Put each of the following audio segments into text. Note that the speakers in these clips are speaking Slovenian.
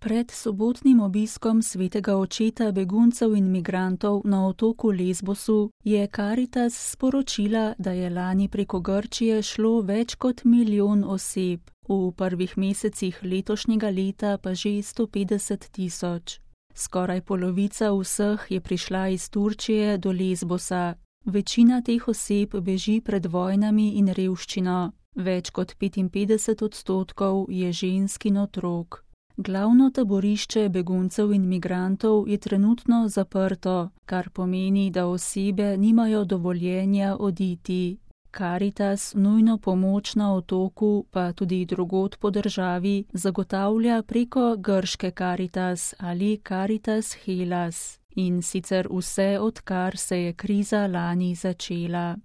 Pred sobotnim obiskom svetega očeta beguncev in migrantov na otoku Lesbosu je Karitas sporočila, da je lani preko Grčije šlo več kot 1 milijon oseb, v prvih mesecih letošnjega leta pa že 150 000. Skoraj polovica vseh je prišla iz Turčije do Lesbosa. Večina teh oseb beži pred vojnami in revščino. Več kot 55% je žensk in otrok. Glavno taborišče beguncev in migrantov je trenutno zaprto, kar pomeni, da osebe nimajo dovoljenja oditi. Karitas nujno pomoč na otoku, pa tudi drugod po državi, zagotavlja preko grške Karitas ali Karitas Hellas, in sicer vse, odkar se je kriza lani začela.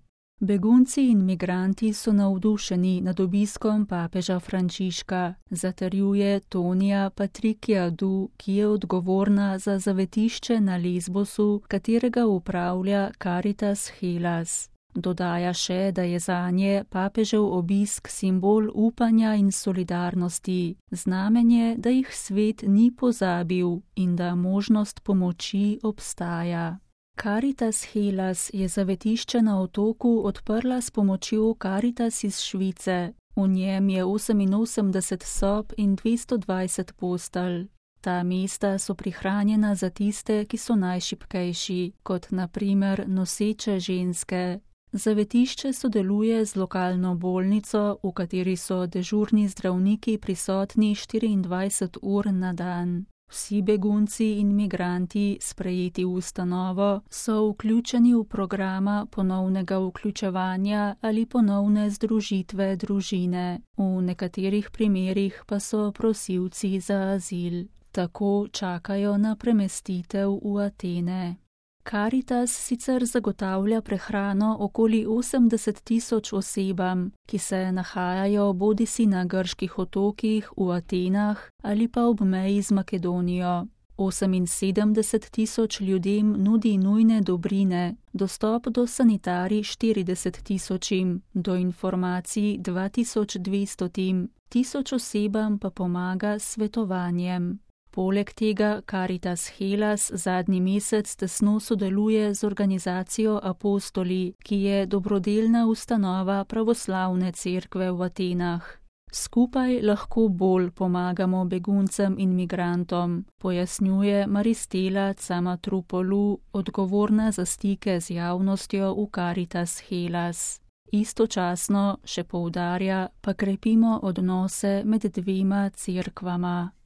Begunci in migranti so navdušeni nad obiskom papeža Frančiška, zatrjuje Tonija Patrikiadu, ki je odgovorna za zavetišče na Lesbosu, katerega upravlja Karitas Hellas. Dodaja še, da je zanje papežev obisk simbol upanja in solidarnosti, znamenje, da jih svet ni pozabil in da možnost pomoči obstaja. Karitas Hellas je zavetišče na otoku odprla s pomočjo Karitas iz Švice. V njem je 88 sob in 220 postelj. Ta mesta so prihranjena za tiste, ki so najšibkejši, kot na primer noseče ženske. Zavetišče sodeluje z lokalno bolnico, v kateri so dežurni zdravniki prisotni 24 ur na dan. Vsi begunci in migranti, sprejeti v ustanovo, so vključeni v programa ponovnega vključevanja ali ponovne združitve družine. V nekaterih primerih pa so prosilci za azil. Tako čakajo na premestitev v Atene. Karitas sicer zagotavlja prehrano okoli 80 000 osebam, ki se nahajajo bodisi na grških otokih v Atenah ali pa ob meji z Makedonijo. 78 000 ljudem nudi nujne dobrine, dostop do sanitarij 40 000, do informacij 2200, 1000 osebam pa pomaga s svetovanjem. Poleg tega Karitas Hellas zadnji mesec tesno sodeluje z organizacijo Apostoli, ki je dobrodelna ustanova pravoslavne cerkve v Atenah. Skupaj lahko bolj pomagamo beguncem in migrantom, pojasnjuje Maristela Camatropoulou, odgovorna za stike z javnostjo v Karitas Hellas. Istočasno, še poudarja, pa krepimo odnose med dvema cerkvama.